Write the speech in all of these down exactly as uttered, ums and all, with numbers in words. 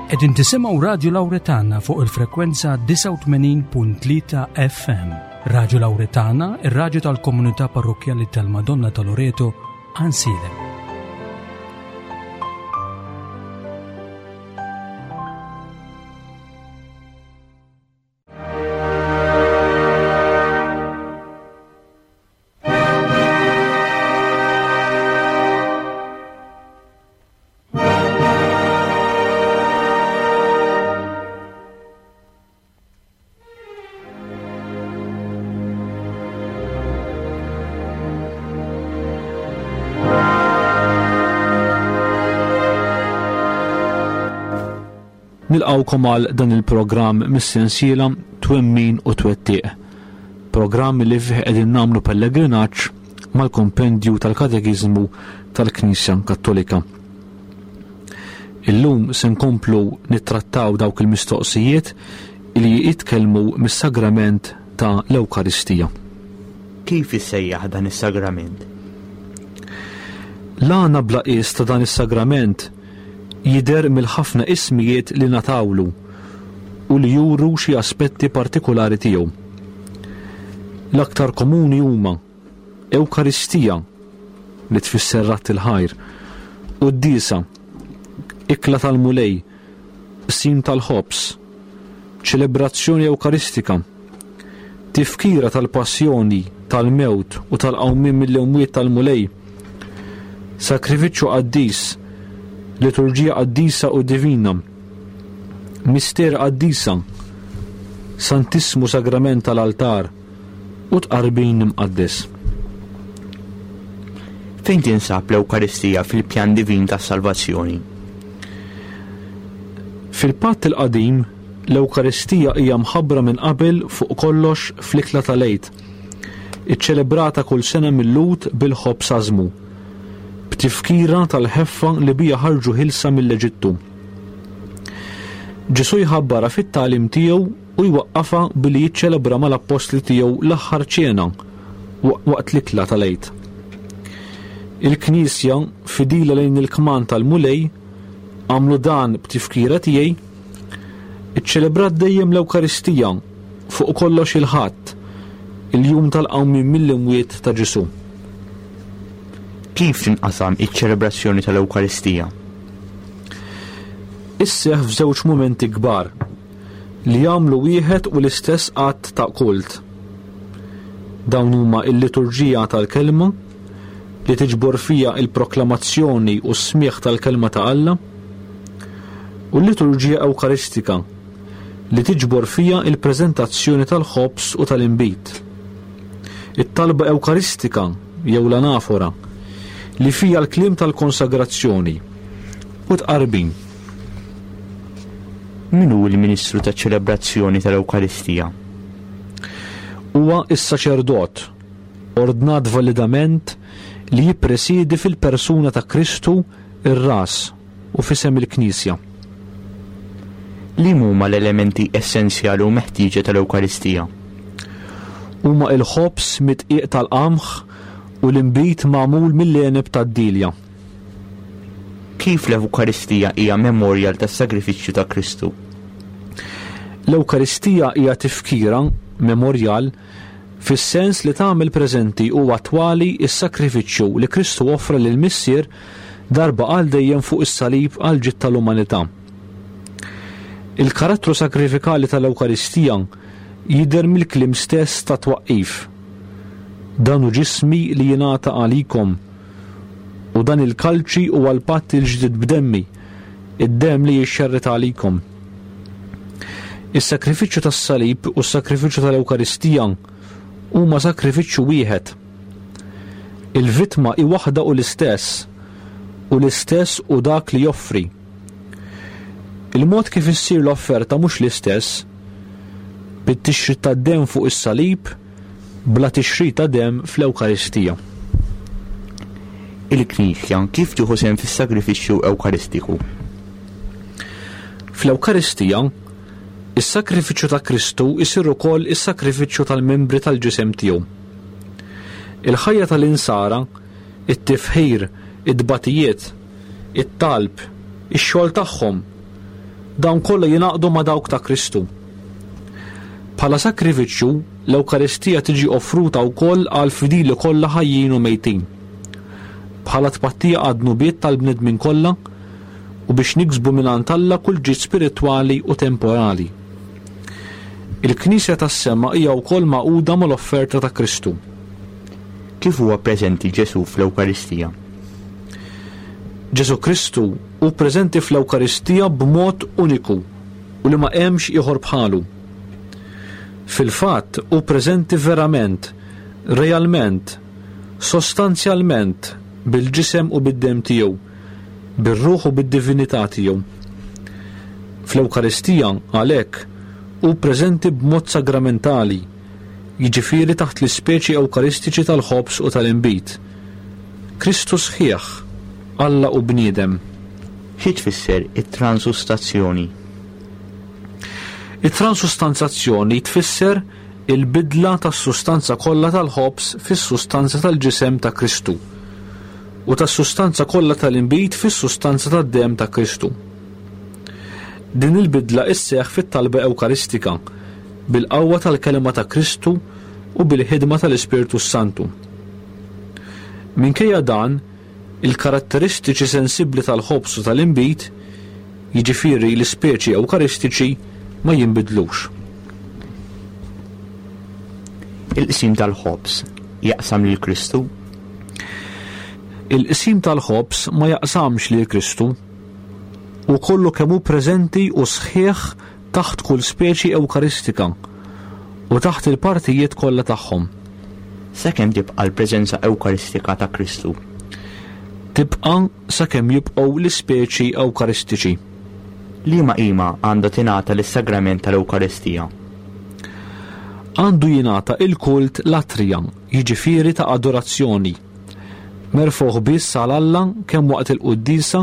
Qegħdin tisimgħu Radio Lauretana fuq il-frekwenza disgħa u tmenin punt tlieta F M. Radio Lauretana, ir-radju tal-Komunità Parrokkjali tal-Madonna ta' Loreto, Għajnsielem. Nilqawkom għal dan il-programm mis-sensiela Twemmin u Twettiq, programm li fih qegħdin nagħmlu pellegrinaġġ mal-kompendju tal-Katekiżmu tal-Knisja Kattolika. Illum se nkomplu nittrattaw dawk il-mistoqsijiet li jitkellmu mis-sagrament ta' l-Ewkaristija. Kif issejjaħ dan is-sagrament? L-għana bla qies ta' dan is-sagrament jidher mill-ħafna ismijiet li natawlu u li juru xi aspetti partikolari tiegħu. L-aktar komuni huma Ewkaristija, li tfisser ratt il-ħajr, Quddiesa, Ikla tal-Mulej, Qsim tal-Ħobż, Ċelebrazzjoni Ewkaristika, Tifkira tal-Passjoni, tal-Mewt u tal-Qawmien mill-Imwiet tal-Mulej, Sakrifiċċju Qaddis, Liturġija Qaddisa u Divina, Mister Qaddisa, Santissmu Sagrament tal-Altar u Tqarbin Imqaddes. Fejn tinsab l-Ewkaristija fil-pjan divin tas-salvazzjoni? Fil-Patt il-Qadim, l-Ewkaristija hija mħabbra minn qabel fuq kollox fl-ikla tal-Għid, iċċelebrata kull sena mill-Lhud bil-ħobż ażmu, b'tifkira tal-ħeffa li bija ħarġu ħilsa mill-Eġittu. Ġesù jħabbarha fit-tagħlim tiegħu u jwaqqafha billi jiċċelebra mal-appostli tiegħu l-aħħar ċena waqt l-ikla tal-Għid. Il-Knisja, fidila lejn il-kman tal-Mulej, għamlu dan b'tifkira tiegħi, iċċelebrat dejjem l-Ewkaristija fuq kollox il-Ħadd, il-jum tal-qawmien mill-imwiet ta' Ġesù. Kif tinqasam iċ-ċelebrazzjoni tal-Ewkaristija? Isseħħ f'żewġ mumenti kbar li jagħmlu wieħed u l-istess att ta' kult. Dawn huma l-liturġija tal-kelma li tiġbor fija il-proklamazzjoni u s-smigħ tal-kelma ta' Alla, u l-liturġija Ewkaristika li tiġbor fija il-preżentazzjoni tal-ħobż u tal-inbid. It-talba Ewkaristika jew l-anafora li fija l-kliem tal-konsagrazzjoni u tqarbin. Min hu l-Ministru taċ-ċelebrazzjoni tal-Ewkaristija? Huwa s-saċerdot, ordnat validament li jippresidi fil-persuna ta' Kristu ir-ras u f'isem il-Knisja. Li huma l-elementi essenzjali u meħtieġa tal-Ewkaristija? Huma il-ħobż mitqiq tal-qamħ u l-inbid magħmul mill-għeneb tad-dilja. Kif l-Ewkaristija hija memorial tas-sagrifiċċju ta' Kristu? L-Ewkaristija hija tifkira, memorial, fis-sens li tagħmel preżenti u attwali s-sagrifiċċju li Kristu offra lil Missier darba għal dejjem fuq is-salib għal ġid tal-umanità. Il-karattru sakrifikali tal-Ewkaristija jidher mill-kliem stess ta' twaqqif. Dan hu ġismi li jingħata għalikom, u dan il-kalċi huwa l-patt il-ġdid b'demmi, id-demm li jixxerret għalikom. Is-sakrifiċċju tas-salib u s-sakrifiċċju tal-Ewkaristija huma sakrifiċċju wieħed. Il-vittma hi waħda u l-istess, u l-istess u dak li joffri. Il-mod kif issir l-offerta mhux l-istess, bit-tixrid tad-demm fuq is-salib, bla tixrid ta' demm fl-Ewkaristija. Il-Knisja kif tieħu sehem fis-sagrifiċċju Ewkaristiku? Fl-Ewkaristija, is-sakrifiċċju ta' Kristu jsir ukoll is-sakrifiċċju tal-membri tal-ġisem tiegħu. Il-ħajja tal-insara, it-tifħir, it-tbatijiet, it-talb, ix-xogħol tagħhom, Dawn kollha jingħaqdu ma' dawk ta' Kristu. Bħala sakrifiċċju, l-Ewkaristija tiġi offruta wkoll għal fidili kollha ħajjin u mejtin. Bħala tpattija għad-dnubiet tal-bnedmin kollha u biex niksbu mingħand Alla kull ġid spiritwali u temporali. Il-Knisja tas-sema hija wkoll magħquda mal-offerta ta' Kristu. Kif huwa preżenti Ġesù fl-Ewkaristija? Ġesù Kristu hu preżenti fl-Ewkaristija b'mod uniku u li ma hemmx ieħor bħalu. Fil-fatt hu preżenti verament, realment, sostanzjalment bil-ġisem u bid-demm tiegħu, bir-ruħ u bid-divinità tiegħu. Fl-Ewkaristija għalhekk hu preżenti b'mod sagramentali, jiġifieri taħt l-ispeċi ewkaristiċi tal-ħobż u tal-inbid. Kristu sħiħ, Alla u bniedem. Xi tfisser it-transustazzjoni? It-transustanzazzjoni tfisser il-bidla tas-sustanza kollha tal-ħobż fis-sustanza tal-ġisem ta' Kristu u tas-sustanza kollha tal-inbid fis-sustanza tad-demm ta' Kristu. Din il-bidla isseħħ fit-talba Ewkaristika bil-qawwa tal-kelma ta' Kristu u bil-ħidma tal-Ispirtu Santu. Minkejja dan, il-karatteristiċi sensibbli tal-ħobż u tal-inbid, jiġifieri l-ispeċi Ewkaristiċi, ma jinbidlux. Il-qsim tal-ħobż jaqsam lil Kristu? Il-qsim tal-ħobż ma jaqsamx lil Kristu. U kollu kemm hu preżenti u sħiħ taħt kull speċi Ewkaristika u taħt il-partijiet kollha tagħhom. Sakemm tibqa' l-preżenza Ewkaristika ta' Kristu? Tibqa' sakemm jibqgħu l-ispeċi Ewkaristiċi. Liema qima għandha tingħata lis-sagrament tal-Ewkaristija? Għandu jingħata il-kult latrija, jiġifieri ta' adorazzjoni, merfugħ biss għal Alla kemm waqt il-quddiesa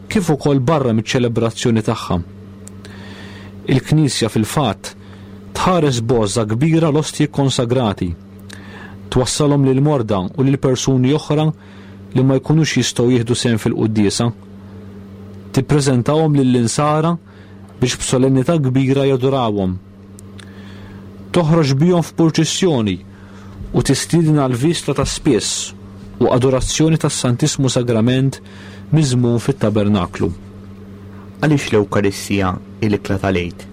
kif ukoll barra miċ-ċelebrazzjoni tagħha. Il-Knisja fil-fatt tħares b'għożża kbira l-ostji konsagrati, twassalhom lil morda u lil persuni oħra li ma jkunux jistgħu jieħdu sehem fil-quddiesa, tippreżentahom lill-insara biex b'solennità kbira jadurawhom. Toħroġ bihom f'purċissjoni u tistieden għal vista ta' spiss u adorazzjoni tas-Santissmu Sagrament miżmum fit-tabernaklu. Għaliex l-Ewkaristija hi l-ikla tal-Għid?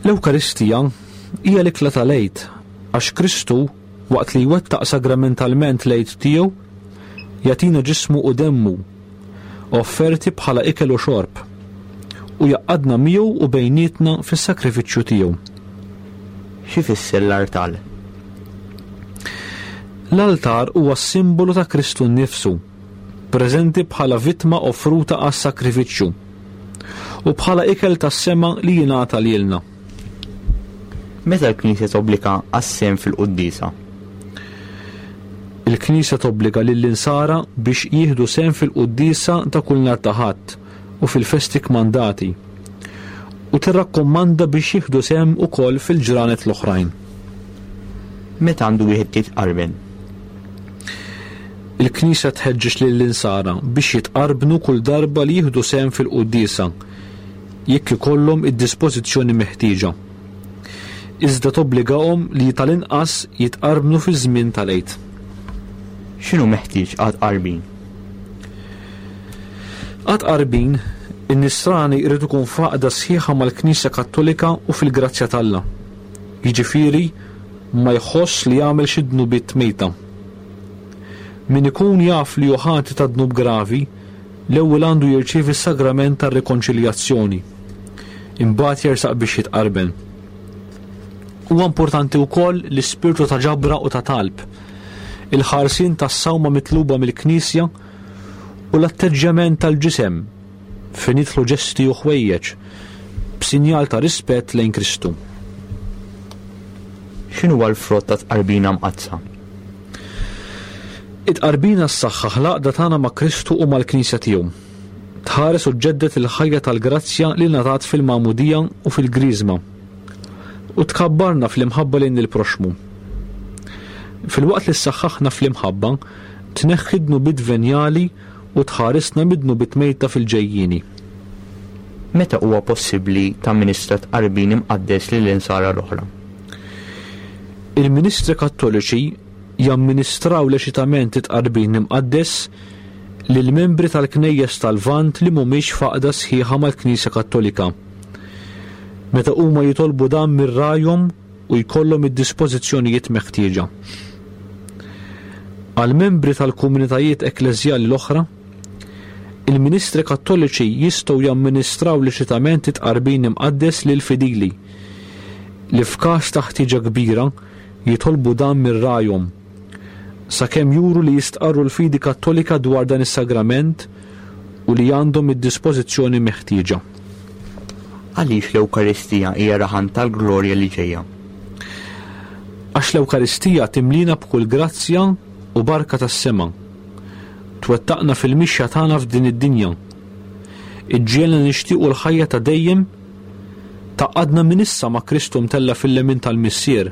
L-Ewkaristija hija l-ikla tal-Għid għax Kristu, waqt li jwettaq sagramentalment l-Għid tiegħu, jagħtina ġismu u demmu offerti bħala ikel u xorb u jaqadna miegħu u bejnietna fis-sakrifiċċju tiegħu. Xi fisser l-artal? L-altar huwa s-simbolu ta' Kristu nnifsu, preżenti bħala vittma offruta għas-sakrifiċċju u bħala ikel tas-sema li jingħata lilna. Meta l-Knisja tobbliga għas-sehem fil-quddiesa? Il-Knisja tobbliga lill-insara biex jieħdu sehem fil-quddiesa ta' kull nhar ta' Ħadd u fil-festi kmandati, u tirrakkomanda biex jieħdu sehem ukoll fil-ġranet l-oħrajn. Meta għandu wieħed jitqarben? Il-Knisja tħeġġeġ lill-insara biex jitqarbnu kull darba li jieħdu sehem fil-quddiesa jekk ikollhom id-dispożizzjoni meħtieġa. Iżda tobbligahom li tal-inqas jitqarbnu fi żmien tal-Għid. X'inhu meħtieġ għat-tqarbin? Għat-tqarbin, in-nisrani jrid ikun f'għaqda sħiħa mal-Knisja Kattolika u fil-grazzja t'Alla. Jiġifieri ma jħoss li jagħmel xi dnubiet mejta. Min ikun jaf li hu ħati ta' dnub gravi, l-ewwel għandu jirċievi s-sagrament tar-rikonċiljazzjoni. Imbagħad jersaq biex jitqarben. Huwa importanti wkoll l-ispirtu ta' ġabra u ta' talb, il-ħarsien tas-sawma mitluba mill-Knisja u l-atteġġjament tal-ġisem fejn jidħlu ġesti u ħwejjeġ b'sinjal ta' rispett lejn Kristu. X'inhu l-frott ta' tqarbina mqaddsa? It-tqarbina ssaħħaħ l-għaqda tagħna ma' Kristu u mal-Knisja tiegħu. Tħares u ġġedded il-ħajja tal-grazzja li ngħatat fil-magħmudija u fil-griżma u tkabbarna fl-imħabba lejn il-proxmu. Filwaqt li ssaħħaħna fl-imħabba, tneħħi dnubiet venjali u tħarisna mid-dnubiet mejta fil-ġejjieni. Meta huwa possibbli tamministra tqarbin imqaddes lill-insara l-oħra? Il-Ministri Kattoliċi jamministraw leċitament it-tqarbin imqaddes lill-membri tal-Knejjes tal-Lvant li mhumiex f'għaqda sħiħa mal-Knisja Kattolika. Meta huma jitolbu dan mir-rajhom u jkollhom id-dispożizzjonijiet meħtieġa. Għal-membri tal-komunitajiet ekkleżjali l-oħra, il-Ministri Kattoliċi jistgħu jamministraw leċitament it-tqarbin imqaddes lil fidili li f'każ ta' ħtieġa kbira jitolbu dan mir-rajhom sakemm juru li jistqarru l-fidi Kattolika dwar dan is-sagrament u li għandhom id-dispożizzjoni meħtieġa. Għaliex l-Ewkaristija hija rahan tal-glorja li ġejja? Għax l-Ewkaristija timlina b'kull grazzja u barka tas-sema. Twettaqna fil-mixja tagħna f'din id-dinja. Iġġielna nixtiequ l-ħajja ta' dejjem tgħaqqadna minn issa ma' Kristu mtella' fil-lemin tal-Missier,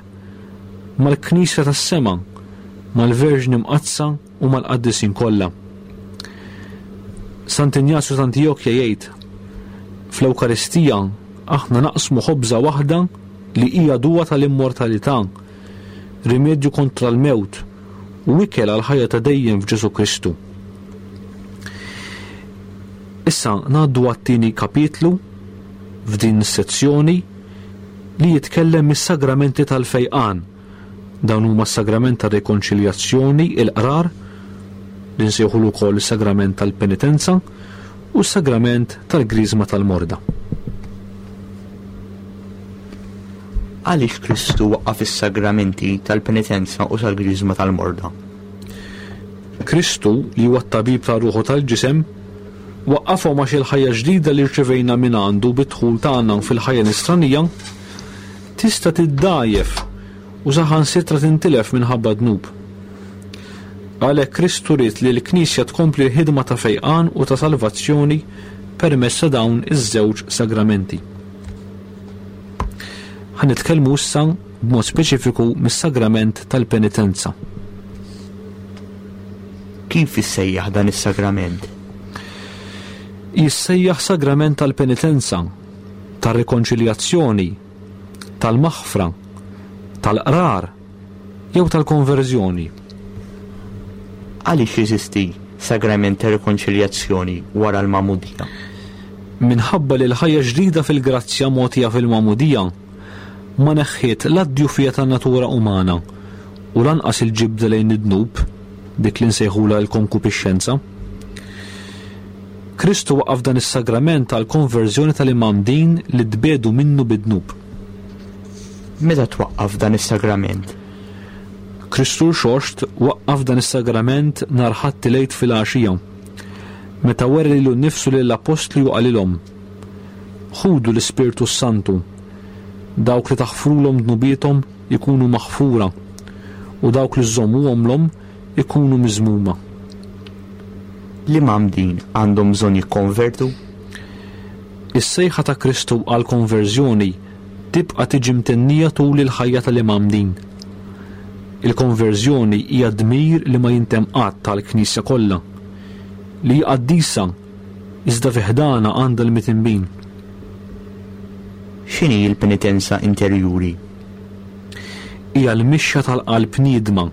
mal-Knisja tas-sema, mal-Verġni Mqaddsa u mal-Qaddisin kollha. Sant'Injazju t'Antijokja jgħid: fl-Ewkaristija aħna naqsmu ħobża waħda li hija duwa tal-immortalità, rimedju kontra l-mewt u ikel għal ħajja ta' dejjem f'Ġesù Kristu. Issa ngħaddu għat-tieni kapitlu f'din is-sezzjoni li jitkellem mis-sagramenti tal-fejqan. Dawn huma s-sagrament tar-rikonċiljazzjoni, il-qrar, li nsejħulu wkoll is-sagrament tal-penitenza, u s-sagrament tal-griżma tal-morda. Għaliex Kristu waqqaf is-sagramenti tal-penitenza u tal-griżma tal-morda? Kristu, li huwa t-tabib tar-ruħu tal-ġisem, waqqafhom għax il-ħajja ġdida li rċevejna minn għandu bid-dħul tagħna fil-ħajja nisranija tista' tiddgħajjef u saħansitra tintilef minħabba dnub. Għalhekk Kristu ried li l-Knisja tkompli l-ħidma ta' fejqan u ta' salvazzjoni permezz ta' dawn iż-żewġ sagramenti. Ħa nitkellmu issa b'mod speċifiku mis-sagrament tal-penitenza. Kif issejjaħ dan is-sagrament? Jissejjaħ sagrament tal-penitenza, tar-rikonċiljazzjoni, tal-maħfra, tal-qrar jew tal-konverżjoni. Għaliex jeżisti sagrament ta' rikonċiljazzjoni wara l-magħmudija? Minħabba li l-ħajja ġdida fil-grazzja mogħtija fil-magħmudija ma neħħiet la d-djufija tan-natura umana u lanqas il-ġibda lejn id-dnub, dik li nsejħulha l-konkupixxenza. Kristu waqqaf dan is-sagrament tal-konverżjoni tal-imgħammdin li tbiedu minnu bid-dnub. Meta twaqqaf dan is-sagrament? Kristu Rxoxt waqqaf dan is-sagrament nhar Ħadd il-Għid fil-għaxija, meta wera lilu nnifsu lill-appostli u qalilhom: Ħudu l-Ispirtu s-Santu, dawk li taħfrulhom dnubiethom ikunu maħfura, u dawk li żżommuhomlhom ikunu miżmuma. L-imgħammdin għandhom bżonn jikkonvertu? Is-sejħa ta' Kristu għall-konverżjoni tibqa' tiġi mtennija tul il-ħajja tal-imgħammdin. Il-konverżjoni hija dmir li ma jintemm qatt tal-Knisja kollha, li hija qaddisa iżda fi ħdana għandha l-mitinbin. X'inhi l-penitenza interjuri? Hija l-mixja tal-qalb niedma,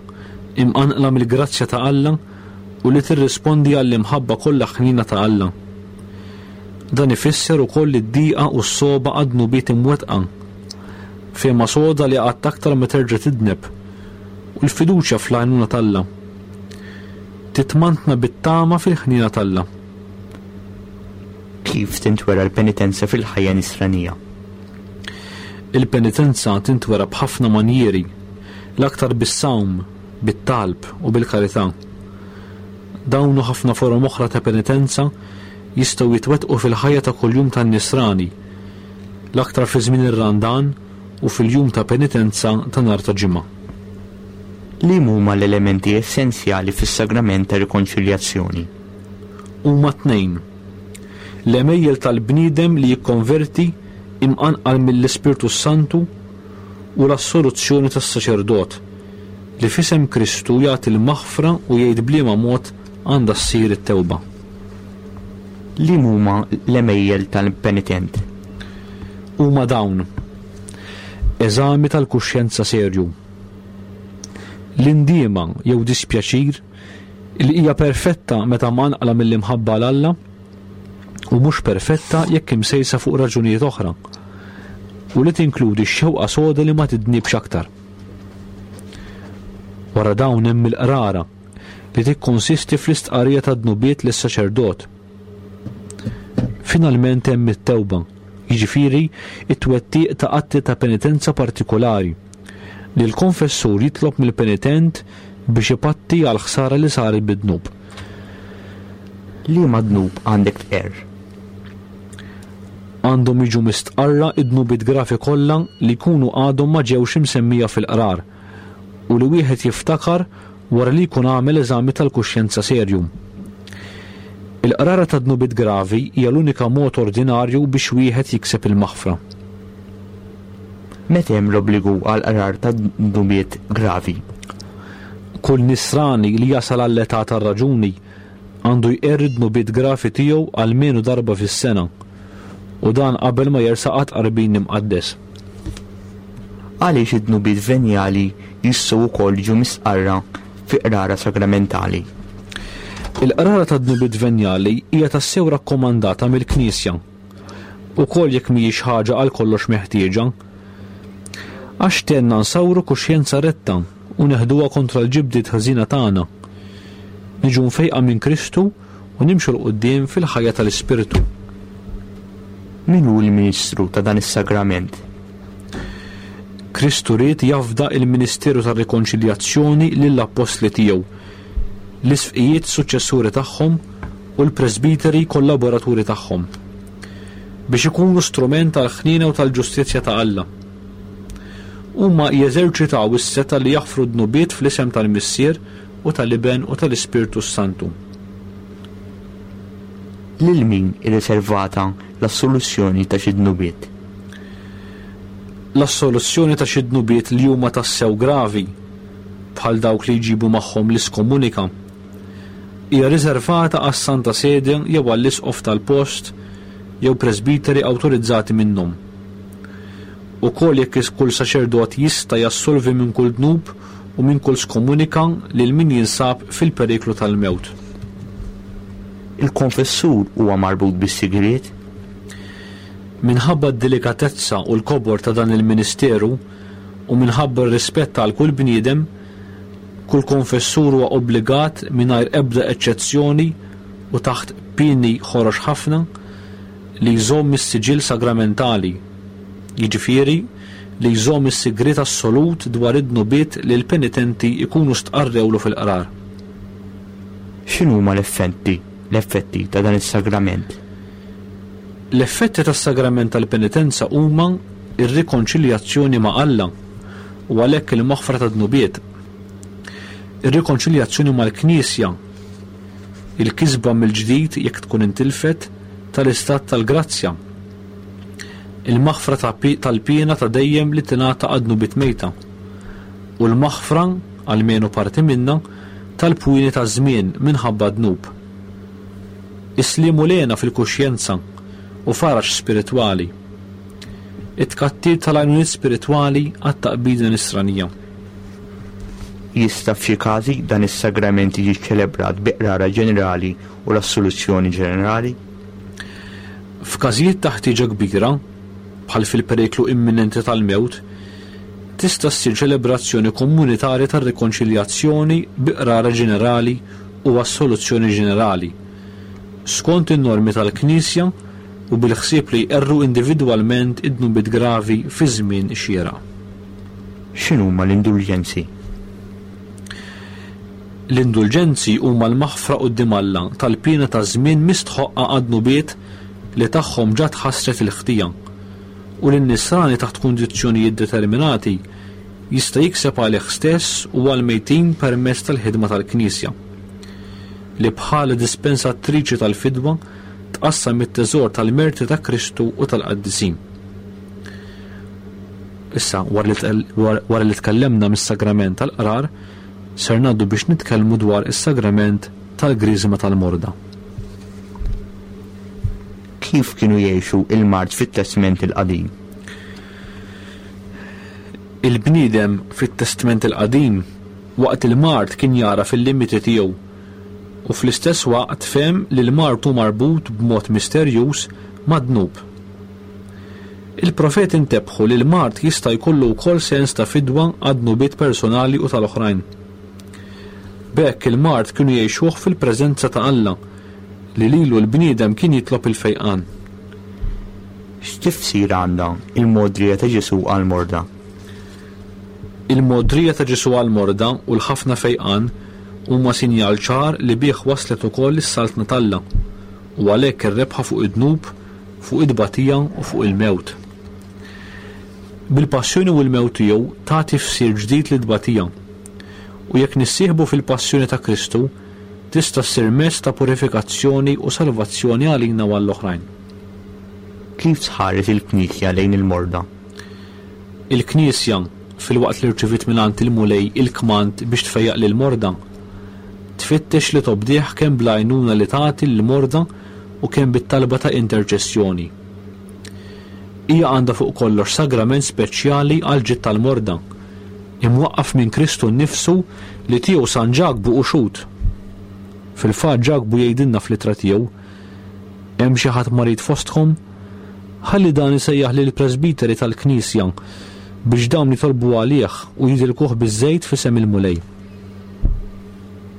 imqanqla mill-grazzja ta' Alla u li tirrispondi għall-imħabba kollha ħnina ta' Alla. Dan ifisser ukoll id-diqa u s-soba għad-dnubiet imwettqa, fehma soda li qatt aktar ma terġa' tidneb, u l-fiduċja fl-għajnuna t'Alla. Titmantna bit-tama fil-ħnina t'Alla. Kif tintwera l-penitenza fil-ħajja nisranija? Il-penitenza tintwera b'ħafna manjieri, l-aktar bis-sawm, bit-talb u bil-karità. Dawn u ħafna forom oħra ta' penitenza jistgħu jitwettqu fil-ħajja ta' kuljum tan-nisrani, l-aktar fi żmien ir-Randan u fil-jum ta' penitenza ta' nhar ta' Ġimgħa. Li huma l-elementi essenzjali fis-sagrament ta' rikonċiljazzjoni? Huma tnejn. L-għemejjel tal-bniedem li jikkonverti imqanqal mill-Ispirtu Santu u l-assoluzzjoni tas-saċerdot li f'isem Kristu jagħti l-maħfra u jgħid b'liema mod għandha ssir it-tewba. Li huma l-għemejjel tal-penitent? Huma dawn: eżami tal-kuxjenza serju, l-indiema jew dispjaċir li hija perfetta meta mqanqla mill-imħabba 'l Alla u mhux perfetta jekk imsejsa fuq raġunijiet oħra, u li tinkludi x-xewqa soda li ma tidnibx aktar. Wara dawn hemm il-qrara li tikkonsisti fl-istqarrija ta' dnubiet lis-saċerdot. Finalment hemm it-tewba, jiġifieri it-twettiq ta' atti ta' penitenza partikolari li l-konfessur jitlob mill-penitent biex ipatti għal ħsara li saret bid-dnub. Liema dnub għandek tqerr? Għandhom jiġu mistqarra id-dnubiet gravi kollha li jkunu għadhom ma ġewx imsemmija fil-qrar u li wieħed jiftakar wara li jkun għamel eżami tal-kuxjenza serju. Il-qrara ta' dnubiet gravi hija l-unika mod ordinarju biex wieħed jikseb il-maħfra. Meta hemm l-obbligu għal qrar ta' dnubiet gravi? Kull nisrani li jasal għall-età tar-raġuni għandu jqerr id-dnubiet gravi tiegħu almenu darba fis-sena, u dan qabel ma jersaq għat-tqarbin imqaddes. Għaliex id-dnubiet venjali jistgħu wkoll jiġu mistqarra fi qrara sagramentali? Il-qrara ta' dnubiet venjali hija tassew rakkomandata mill-Knisja, ukoll jekk mhijiex ħaġa għal kollox meħtieġa, għax tenna nsawru kuxjenza retta u neħduha kontra l-ġibdiet ħażina tagħna, niġu mfejqa minn Kristu u nimxu 'l quddiem fil-ħajja tal-Ispirtu. Min hu l-Ministru ta' dan is-sagrament? Kristu ried jafda il-Ministeru tar-Rikonċiljazzjoni lill-Appostli tiegħu, l-isqfijiet suċċessuri tagħhom u l-presbiteri kollaboraturi tagħhom, biex ikunu strument tal-ħniena u tal-ġustizzja ta' Alla. Huma jeżerċitaw is-setgħa li jaħfru dnubiet fl-isem tal-Missier u tal-Iben u tal-Ispirtu Santu. Lil min irriservata l-assoluzzjoni ta' xi dnubiet? L-assoluzzjoni ta' xi dnubiet li huma tassew gravi, bħal dawk li jġibu magħhom l-iskomunika, hija riservata għas-Santa Sede jew għall-Isqof tal-post jew presbiteri awtorizzati minnhom. Ukoll jekk kull saċerdot jista' jassolvi minn kull dnub u minn kull skomunika lil min jinsab fil-periklu tal-mewt. Il-konfessur huwa marbut bis-sigriet? Minħabba d-delikatezza u l-kobor ta' dan il-ministeru u minħabba r-rispett għal kull bniedem, kull konfessur huwa obbligat mingħajr ebda eċċezzjoni u taħt pieni ħorox ħafna li jżomm is-siġill sagramentali, jiġifieri li jżomm is-sigriet assolut dwar id-dnubiet li l-penitenti jkunu stqarrewlu fil-qrar. X'inhuma l-effetti, l-effetti ta' dan is-sagrament? L-effetti tas-sagrament tal-penitenza huma ir-rikonċiljazzjoni ma' Alla u għalhekk il-maħfra ta' dnubiet, ir-rikonċiljazzjoni mal-Knisja, il-kisba mill-ġdid jekk tkun intilfet tal-istat tal-grazzja, il-maħfra ta' pi-, tal-piena ta' dejjem li tingħata għad-dnubiet mejta, u l-maħfra, almenu parti minna, tal-pwini ta' żmien minħabba dnub. Is-sliem u lena fil-kuxjenza u faraġ spiritwali. It-tkattir tal-għajnuniet spiritwali għat-taqbida nisranija. Jista' f'xi każi dan is-sagrament jiġi ċelebrat bi qrara ġenerali u l-assoluzzjoni ġenerali? F'każijiet ta' ħtieġa kbira, bħal fil-periklu imminenti tal-mewt, tista' ssir ċelebrazzjoni komunitarja tar-rikonċiljazzjoni bi qrara ġenerali u assoluzzjoni ġenerali, skont in-normi tal-Knisja u bil-ħsieb li jqerru individwalment id-dnubiet gravi fi żmien xieraq. X'inhuma l-indulġenzi? L-indulġenzi huma l-maħfra quddiem Alla tal-piena ta' żmien mistħoqqa għad-dnubiet li tagħhom ġa tħassret il-ħtija, u li n-nisrani taħt kundizzjonijiet determinati jista' jikseb għalih stess u għall-mejtin permezz tal-ħidma tal-Knisja, li bħala dispensatriċi tal-fidwa tqassam it-teżor tal-merti ta' Kristu u tal-qaddisin. Issa, wara li tqel-, wara, wara li tkellemna mis-sagrament tal-qrar, ser ngħaddu biex nitkellmu dwar is-sagrament tal-Griżma tal-Morda. Kif kienu jgħixu il-mard fit-Testment il-Qadim? Il-bniedem fit-Testment il-Qadim waqt il-mard kien jara fil-limiti tiegħu u fl-istess waqt fehem li l-mard hu marbut b'mod misterjuż mad-dnub. Il-profeti ntebħu li l-mard jista' jkollu wkoll sens ta' fidwa għad-dnubiet personali u tal-oħrajn. B'hekk il-mard kienu jgħixuh fil-preżenza ta' Alla li lilu l-bniedem kien jitlob il-fejqan. X'tifsir għandha il-mogħdrija ta' Ġesù għall-morda? Il-mogħdrija ta' Ġesù għall-morda u l-ħafna fejqan huma sinjal ċar li bih waslet ukoll is-saltna t'Alla u għalhekk ir-rebħa fuq id-dnub, fuq it-tbatija u fuq il-mewt. Bil-passjoni u l-mewt tiegħu ta tifsir ġdid lit-tbatija. U jekk nissieħbu fil-passjoni ta' Kristu, tista' ssir mezz ta' purifikazzjoni u salvazzjoni għalina u għall-oħrajn. Kif tħares il-Knisja lejn il-morda? Il-Knisja, filwaqt li rċiviet mingħand il-Mulej il-kmand biex tfejjaq lill-morda, tfittex li tobdih kemm bl-għajnuna li tagħti lill-morda u kemm bit-talba ta' interċessjoni. Hija għandha fuq kollox sagrament speċjali għal ġid tal-morda, imwaqqaf minn Kristu nnifsu li tiegħu San Ġakbu hu xhud. Fil-fatt Ġakbu jgħidilna fl-ittra tiegħu: hemm xi ħadd marid fostkom? Ħalli dan isejjaħ lill-presbiteri tal-Knisja biex dawn jitolbu għalih u jidilkuh biż-żejt f'isem il-Mulej.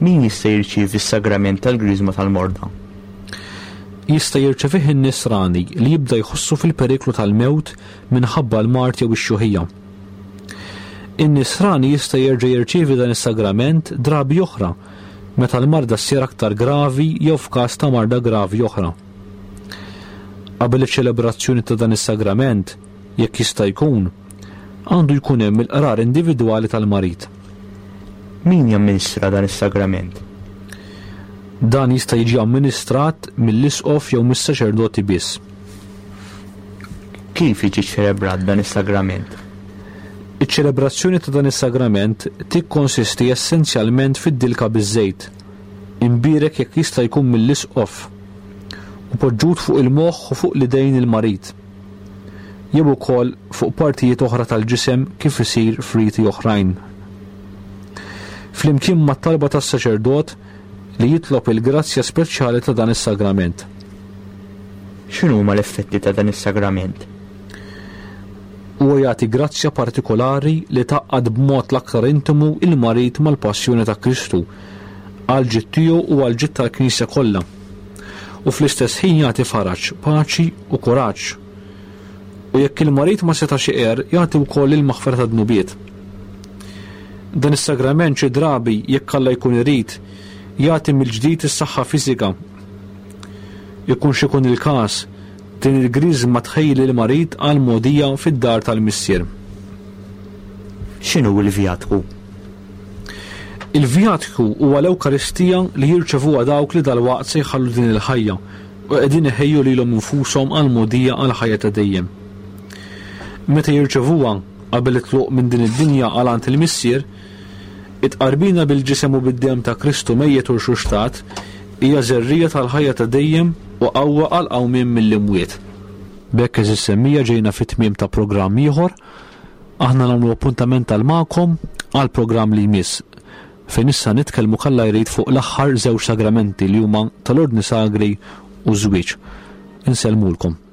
Min jista' jirċievi s-sagrament tal-Griżma tal-Morda? Jista' jirċevih in-nisrani li jibda jħossu fil-periklu tal-mewt minħabba l-mard jew ix-xjuħija. In-nisrani jista' jerġa' jirċievi dan is-sagrament drabi oħra meta l-marda ssir aktar gravi jew f'każ ta' marda gravi oħra. Qabel iċ-ċelebrazzjoni ta' dan is-sagrament, jekk jista' jkun, għandu jkun hemm il-qrar individwali tal-marid. Min jamministra dan is-sagrament? Dan jista' jiġi amministrat mill-isqof jew mis-saċerdoti biss. Kif jiġi ċelebrat dan is-sagrament? Iċ-ċelebrazzjoni ta' dan is-sagrament tikkonsisti essenzjalment fid-dilka biż-żejt, imbierek jekk jista' jkun mill-isqof, u poġġut fuq il-moħħ u fuq l-idejn il-marid, jew ukoll fuq partijiet oħra tal-ġisem kif isir f'riti oħrajn. Flimkien mat-talba tas-saċerdot li jitlob il-grazzja speċjali ta' dan is-sagrament. X'inhuma l-effetti ta' dan is-sagrament? Huwa jagħti grazzja partikolari li tgħaqqad b'mod l-aktar intimu il-marid mal-passjoni ta' Kristu, għal ġid tiegħu u għal ġid tal-Knisja kollha. U fl-istess ħin jagħti faraġ, paċi u kuraġġ. U jekk il-marid ma setax iqer, jagħti wkoll il-maħfra ta' dnubiet. Dan is-sagrament xi drabi, jekk Alla jkun irid, jagħti mill-ġdid is-saħħa fiżika. Ikun x'ikun il-każ, din il-griżma tħejji lill-marid għal mogħdija fid-dar tal-Missier. X'inhu l-vjatku? Il-vjatku huwa l-Ewkaristija li jirċevuha dawk li dalwaqt se jħallu din il-ħajja u qegħdin iħejju lilhom infushom għal mogħdija għal ħajja ta' dejjem. Meta jirċevuha qabel it-tluq minn din id-dinja għal għand il-Missier, it-tqarbina bil-ġisem u bid-demm ta' Kristu mejjet u rxuxtat hija żerrija tal-ħajja ta' dejjem u qawwa għal qawmien mill-imwiet. B'hekk eżis semmija ġejna fit-tmiem ta' programm ieħor. Aħna nagħmlu appuntament tal magħkom għal programm li jmiss, fejn issa nitkellmu kalla jrid fuq l-aħħar żewġ sagramenti li huma tal-Ordni Sagri u żwieġ. Insellmulkom.